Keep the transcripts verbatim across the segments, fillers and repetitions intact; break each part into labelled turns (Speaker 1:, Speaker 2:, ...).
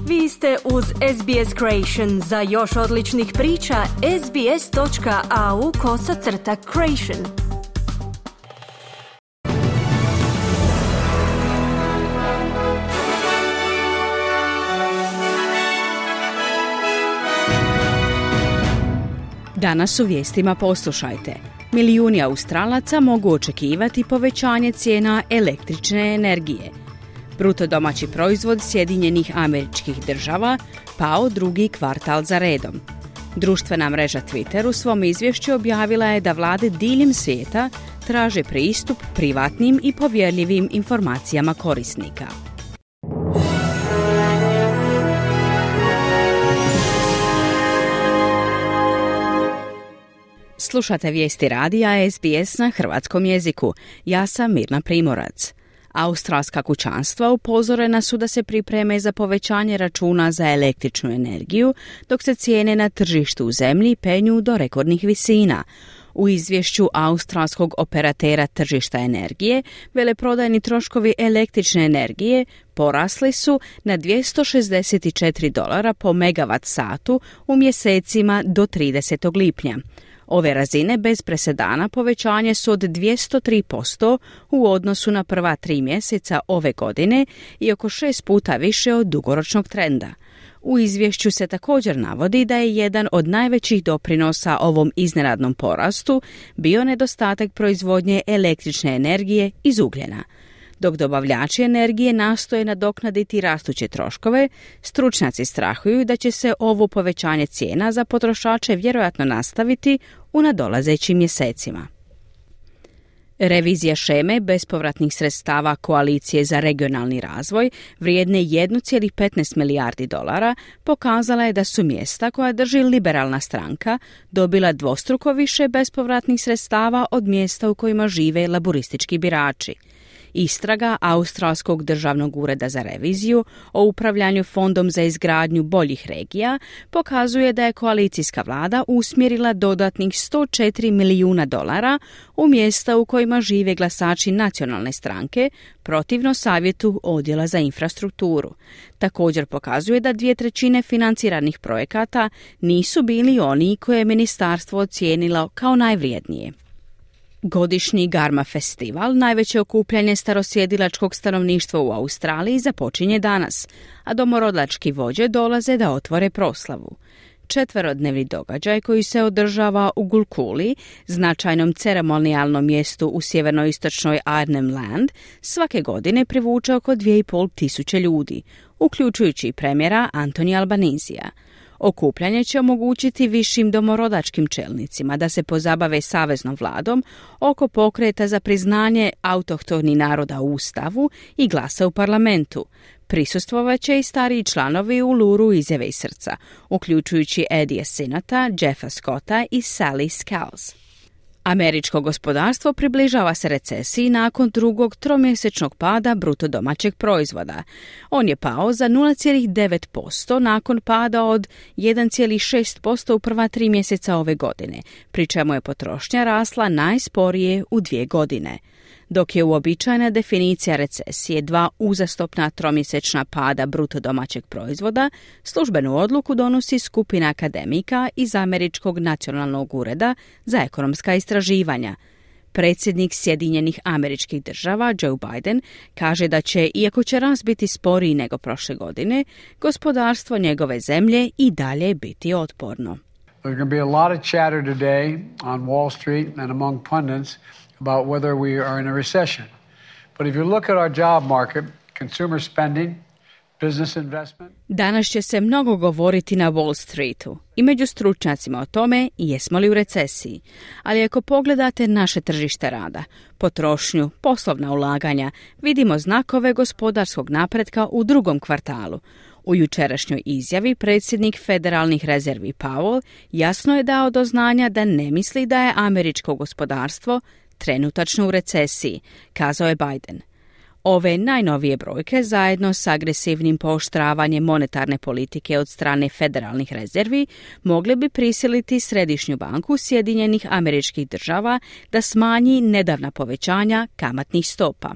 Speaker 1: Vi ste uz S B S Creation. Za još odličnih priča, sbs.au kosacrta creation.
Speaker 2: Danas u vijestima poslušajte. Milijuni Australaca mogu očekivati povećanje cijena električne energije. Bruto domaći proizvod Sjedinjenih Američkih Država pao drugi kvartal za redom. Društvena mreža Twitter u svom izvješću objavila je da vlade diljem svijeta traže pristup privatnim i povjerljivim informacijama korisnika. Slušate vijesti radija S B S na hrvatskom jeziku. Ja sam Mirna Primorac. Australska kućanstva upozorena su da se pripreme za povećanje računa za električnu energiju, dok se cijene na tržištu u zemlji penju do rekordnih visina. U izvješću australskog operatera tržišta energije, veleprodajni troškovi električne energije porasli su na dvjesto šezdeset četiri dolara po megavat satu u mjesecima do tridesetog lipnja. Ove razine bez presedana povećanje su od dvjesto tri posto u odnosu na prva tri mjeseca ove godine i oko šest puta više od dugoročnog trenda. U izvješću se također navodi da je jedan od najvećih doprinosa ovom iznenadnom porastu bio nedostatak proizvodnje električne energije iz ugljena. Dok dobavljači energije nastoje nadoknaditi rastuće troškove, stručnjaci strahuju da će se ovo povećanje cijena za potrošače vjerojatno nastaviti u nadolazećim mjesecima. Revizija šeme bespovratnih sredstava Koalicije za regionalni razvoj vrijedne jedan zarez petnaest milijardi dolara pokazala je da su mjesta koja drži liberalna stranka dobila dvostruko više bespovratnih sredstava od mjesta u kojima žive laburistički birači. Istraga Australskog državnog ureda za reviziju o upravljanju fondom za izgradnju boljih regija pokazuje da je koalicijska vlada usmjerila dodatnih sto četiri milijuna dolara u mjesta u kojima žive glasači nacionalne stranke protivno savjetu odjela za infrastrukturu. Također pokazuje da dvije trećine financiranih projekata nisu bili oni koje je ministarstvo ocijenilo kao najvrijednije. Godišnji Garma festival, najveće okupljanje starosjedilačkog stanovništva u Australiji, započinje danas, a domorodlački vođe dolaze da otvore proslavu. Četverodnevni događaj koji se održava u Gulkuli, značajnom ceremonijalnom mjestu u sjevernoistočnoj Arnhem Land, svake godine privuče oko dvije i pol tisuće ljudi, uključujući i premijera Anthony Albanisija. Okupljanje će omogućiti višim domorodačkim čelnicima da se pozabave saveznom vladom oko pokreta za priznanje autohtonih naroda u Ustavu i glasa u parlamentu. Prisustvovat će i stariji članovi Uluru izjave iz srca, uključujući Eddie Sinata, Jeffa Scotta i Sally Scales. Američko gospodarstvo približava se recesiji nakon drugog tromjesečnog pada bruto domaćeg proizvoda. On je pao za nula zarez devet posto nakon pada od jedan zarez šest posto u prva tri mjeseca ove godine, pri čemu je potrošnja rasla najsporije u dvije godine. Dok je uobičajena definicija recesije dva uzastopna tromjesečna pada bruto domaćeg proizvoda, službenu odluku donosi skupina akademika iz Američkog nacionalnog ureda za ekonomska istraživanja. Predsjednik Sjedinjenih Američkih Država Joe Biden kaže da će, iako će rast biti sporiji nego prošle godine, gospodarstvo njegove zemlje i dalje biti otporno.
Speaker 3: There's going to be a lot of chatter today on Wall Street and among pundits about whether we are in a recession. But if you look at our job market, consumer spending, business investment.
Speaker 2: Danas će se mnogo govoriti na Wall Streetu i među stručnjacima o tome jesmo li u recesiji. Ali ako pogledate naše tržište rada, potrošnju, poslovna ulaganja, vidimo znakove gospodarskog napretka u drugom kvartalu. U jučerašnjoj izjavi predsjednik Federalnih rezervi Powell jasno je dao do znanja da ne misli da je američko gospodarstvo trenutačno u recesiji, kazao je Biden. Ove najnovije brojke, zajedno s agresivnim pooštravanjem monetarne politike od strane federalnih rezervi, mogle bi prisiliti Središnju banku Sjedinjenih Američkih Država da smanji nedavna povećanja kamatnih stopa.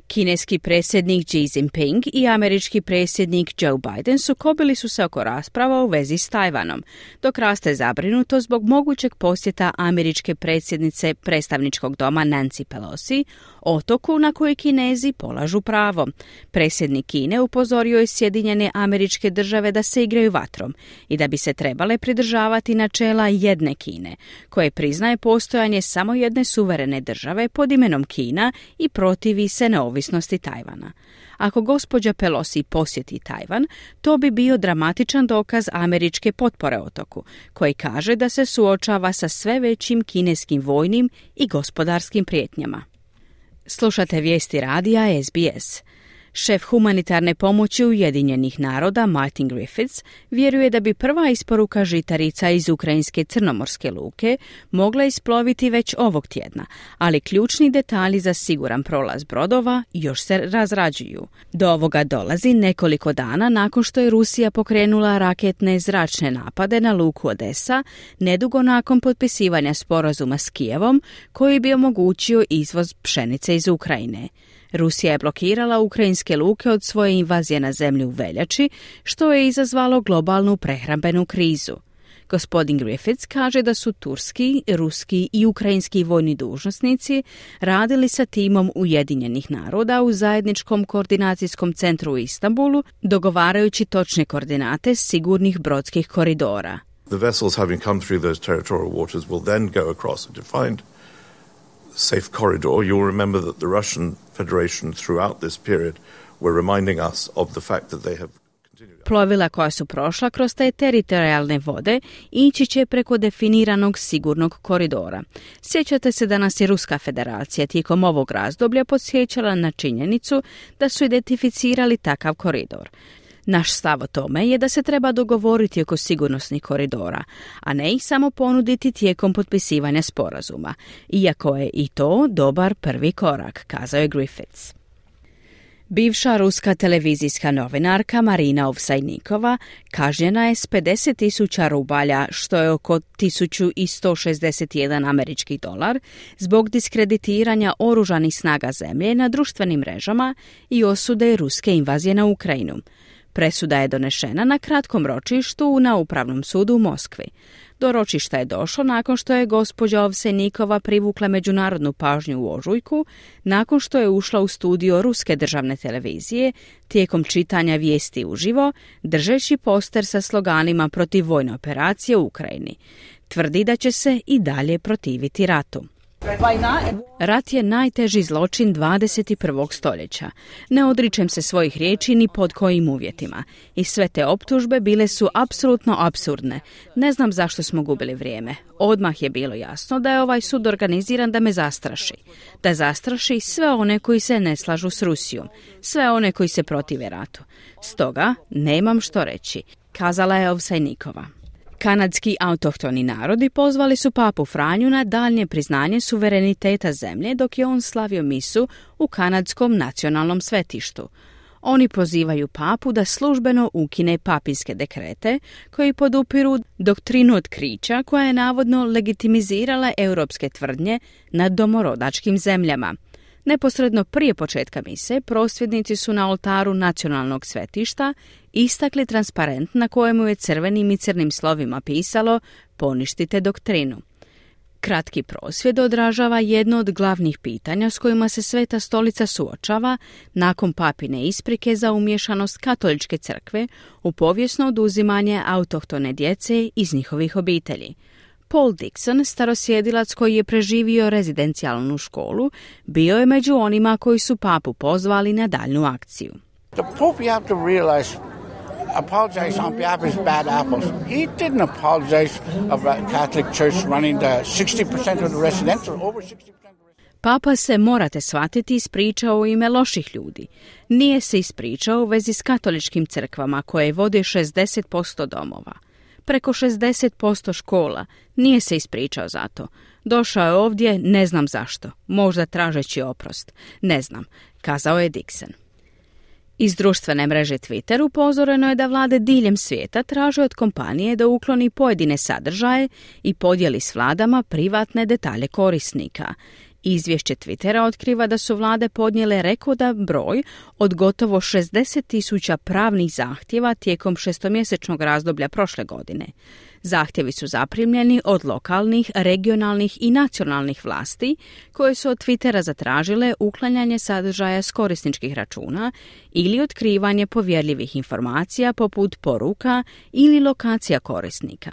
Speaker 2: Kineski predsjednik Xi Jinping i američki predsjednik Joe Biden sukobili su se oko rasprava u vezi s Tajvanom, dok raste zabrinuto zbog mogućeg posjeta američke predsjednice predstavničkog doma Nancy Pelosi, otoku na koji Kinezi polažu pravo. Predsjednik Kine upozorio je Sjedinjene Američke Države da se igraju vatrom i da bi se trebale pridržavati načela jedne Kine, koje priznaje postojanje samo jedne suverene države pod imenom Kina i protivi se neovisnosti Tajvana. Ako gospođa Pelosi posjeti Tajvan, to bi bio dramatičan dokaz američke potpore otoku, koji kaže da se suočava sa sve većim kineskim vojnim i gospodarskim prijetnjama. Slušate vijesti radija S B S. Šef humanitarne pomoći Ujedinjenih naroda Martin Griffiths vjeruje da bi prva isporuka žitarica iz ukrajinske crnomorske luke mogla isploviti već ovog tjedna, ali ključni detalji za siguran prolaz brodova još se razrađuju. Do ovoga dolazi nekoliko dana nakon što je Rusija pokrenula raketne zračne napade na luku Odesa, nedugo nakon potpisivanja sporazuma s Kijevom koji bi omogućio izvoz pšenice iz Ukrajine. Rusija je blokirala ukrajinske luke od svoje invazije na zemlju u veljači, što je izazvalo globalnu prehrambenu krizu. Gospodin Griffiths kaže da su turski, ruski i ukrajinski vojni dužnosnici radili sa timom Ujedinjenih naroda u zajedničkom koordinacijskom centru u Istanbulu, dogovarajući točne koordinate sigurnih brodskih koridora.
Speaker 4: The vessels having come through those territorial waters will then go across a defined safe corridor. You'll remember that the Russian Federation throughout this period were reminding us of the fact that they have continued.
Speaker 2: Plovila koja su prošla kroz te teritorijalne vode ići će preko definiranog sigurnog koridora. Sjećate se da nas je Ruska Federacija tijekom ovog razdoblja podsjećala na činjenicu da su identificirali takav koridor. Naš stav o tome je da se treba dogovoriti oko sigurnosnih koridora, a ne ih samo ponuditi tijekom potpisivanja sporazuma, iako je i to dobar prvi korak, kazao je Griffiths. Bivša ruska televizijska novinarka Marina Ovsajnikova kažnjena je s pedeset tisuća rubalja, što je oko tisuću sto šezdeset jedan američki dolar, zbog diskreditiranja oružanih snaga zemlje na društvenim mrežama i osude ruske invazije na Ukrajinu. Presuda je donešena na kratkom ročištu na Upravnom sudu u Moskvi. Do ročišta je došlo nakon što je gospođa Ovsejnikova privukla međunarodnu pažnju u ožujku, nakon što je ušla u studio ruske državne televizije tijekom čitanja vijesti uživo, držeći poster sa sloganima protiv vojne operacije u Ukrajini. Tvrdi da će se i dalje protiviti ratu. Rat je najteži zločin dvadeset prvog stoljeća. Ne odričem se svojih riječi ni pod kojim uvjetima. I sve te optužbe bile su apsolutno apsurdne. Ne znam zašto smo gubili vrijeme. Odmah je bilo jasno da je ovaj sud organiziran da me zastraši. Da zastraši sve one koji se ne slažu s Rusijom. Sve one koji se protive ratu. Stoga nemam što reći, kazala je Ovsajnikova. Kanadski autohtoni narodi pozvali su papu Franju na daljnje priznanje suvereniteta zemlje dok je on slavio misu u kanadskom nacionalnom svetištu. Oni pozivaju papu da službeno ukine papinske dekrete koji podupiru doktrinu otkrića koja je navodno legitimizirala europske tvrdnje nad domorodačkim zemljama. Neposredno prije početka mise, prosvjednici su na oltaru nacionalnog svetišta istakli transparent na kojemu je crvenim i crnim slovima pisalo "Poništite doktrinu". Kratki prosvjed odražava jedno od glavnih pitanja s kojima se Sveta stolica suočava nakon papine isprike za umješanost katoličke crkve u povijesno oduzimanje autohtone djece iz njihovih obitelji. Paul Dixon, starosjedilac koji je preživio rezidencijalnu školu, bio je među onima koji su papu pozvali na daljnju akciju.
Speaker 5: The Pope, you have to realize, apologize on behalf of his bad apples. He didn't apologize of a Catholic Church running the sixty percent of the residential, over sixty percent.
Speaker 2: Papa se, morate shvatiti, ispričao u ime loših ljudi. Nije se ispričao u vezi s katoličkim crkvama koje vode šezdeset posto domova. Preko šezdeset posto škola. Nije se ispričao za to. Došao je ovdje, ne znam zašto. Možda tražeći oprost. Ne znam, kazao je Dixon. Iz društvene mreže Twitter upozoreno je da vlade diljem svijeta traže od kompanije da ukloni pojedine sadržaje i podijeli s vladama privatne detalje korisnika. Izvješće Twittera otkriva da su vlade podnijele rekordan broj od gotovo šezdeset tisuća pravnih zahtjeva tijekom šestomjesečnog razdoblja prošle godine. Zahtjevi su zaprimljeni od lokalnih, regionalnih i nacionalnih vlasti koje su od Twittera zatražile uklanjanje sadržaja s korisničkih računa ili otkrivanje povjerljivih informacija poput poruka ili lokacija korisnika.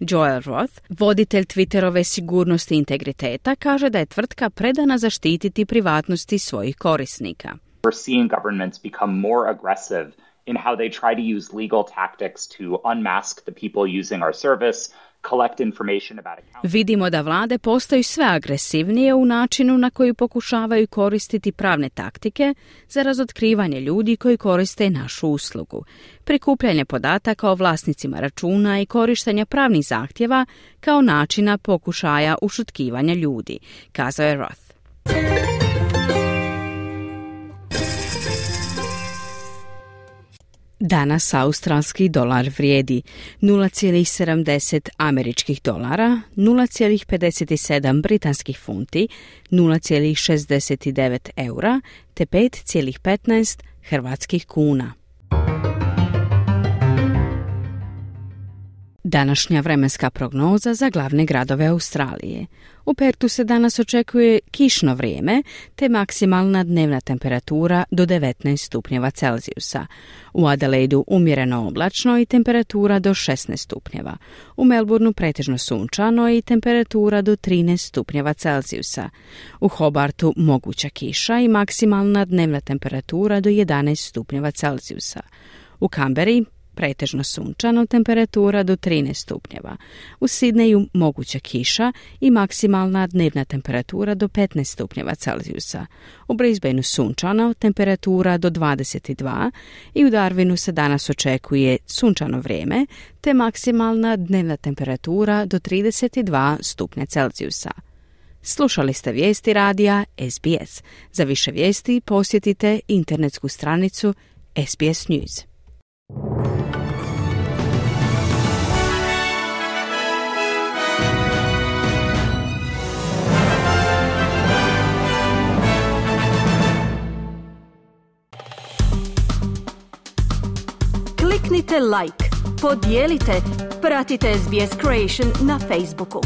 Speaker 2: Joel Roth, voditelj Twitterove sigurnosti i integriteta, kaže da je tvrtka predana zaštititi privatnosti svojih korisnika.
Speaker 6: We're seeing governments become more aggressive in how they try to use legal tactics to unmask the people using our service, collect information about accounts.
Speaker 2: Vidimo da vlade postaju sve agresivnije u načinu na koji pokušavaju koristiti pravne taktike za razotkrivanje ljudi koji koriste našu uslugu, prikupljanje podataka o vlasnicima računa i korištenja pravnih zahtjeva kao načina pokušaja ušutkivanja ljudi, kazao je Roth. Danas australski dolar vrijedi nula zarez sedamdeset američkih dolara, nula zarez pedeset sedam britanskih funti, nula zarez šezdeset devet eura te pet zarez petnaest hrvatskih kuna. Današnja vremenska prognoza za glavne gradove Australije. U Pertu se danas očekuje kišno vrijeme te maksimalna dnevna temperatura do devetnaest stupnjeva Celzijusa. U Adelaidu umjereno oblačno i temperatura do šesnaest stupnjeva. U Melbourneu pretežno sunčano i temperatura do trinaest stupnjeva Celzijusa. U Hobartu moguća kiša i maksimalna dnevna temperatura do jedanaest stupnjeva Celzijusa. U Canberri pretežno sunčano, temperatura do trinaest stupnjeva. U Sidneju moguća kiša i maksimalna dnevna temperatura do petnaest stupnjeva Celzijusa. U Brisbaneu sunčano, temperatura do dvadeset dva i u Darwinu se danas očekuje sunčano vrijeme te maksimalna dnevna temperatura do trideset dva stupnja Celzijusa. Slušali ste vijesti radija S B S. Za više vijesti posjetite internetsku stranicu S B S News.
Speaker 1: Kliknite like, podijelite, pratite S B S Creation na Facebooku.